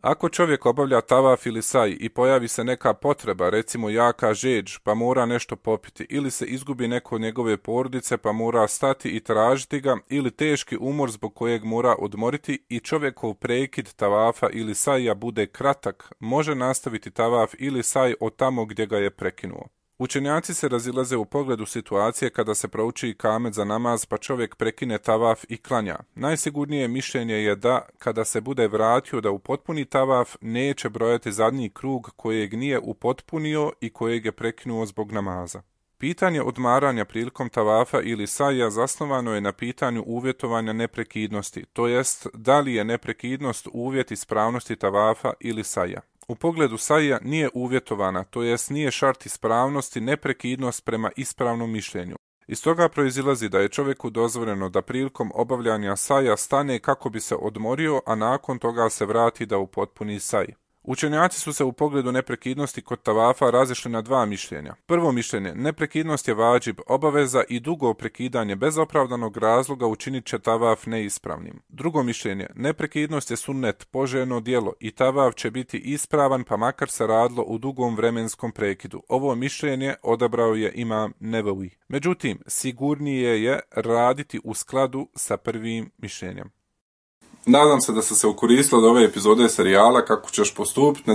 Ako čovjek obavlja tavaf ili saj i pojavi se neka potreba, recimo jaka žeđ, pa mora nešto popiti, ili se izgubi neko od njegove porodice pa mora stati i tražiti ga, ili teški umor zbog kojeg mora odmoriti i čovjekov prekid tavafa ili saja bude kratak, može nastaviti tavaf ili saj od tamo gdje ga je prekinuo. Učenjaci se razilaze u pogledu situacije kada se prouči ikamet za namaz pa čovjek prekine tavaf i klanja. Najsigurnije mišljenje je da, kada se bude vratio da upotpuni tavaf, neće brojati zadnji krug kojeg nije upotpunio i kojeg je prekinuo zbog namaza. Pitanje odmaranja prilikom tavafa ili saja zasnovano je na pitanju uvjetovanja neprekidnosti, to jest da li je neprekidnost uvjet ispravnosti tavafa ili saja. U pogledu saja nije uvjetovana, to jest nije šart ispravnosti neprekidnost prema ispravnom mišljenju. Iz toga proizilazi da je čovjeku dozvoljeno da prilikom obavljanja saja stane kako bi se odmorio, a nakon toga se vrati da upotpuni saj. Učenjaci su se u pogledu neprekidnosti kod tavafa razišli na dva mišljenja. Prvo mišljenje, neprekidnost je vađib, obaveza i dugo prekidanje bez opravdanog razloga učinit će tavaf neispravnim. Drugo mišljenje, neprekidnost je sunnet, poželjno djelo i tavaf će biti ispravan pa makar se radilo u dugom vremenskom prekidu. Ovo mišljenje odabrao je imam Nevevi. Međutim, sigurnije je raditi u skladu sa prvim mišljenjem. Nadam se da ste se okoristili od ove epizode serijala Kako ćeš postupiti.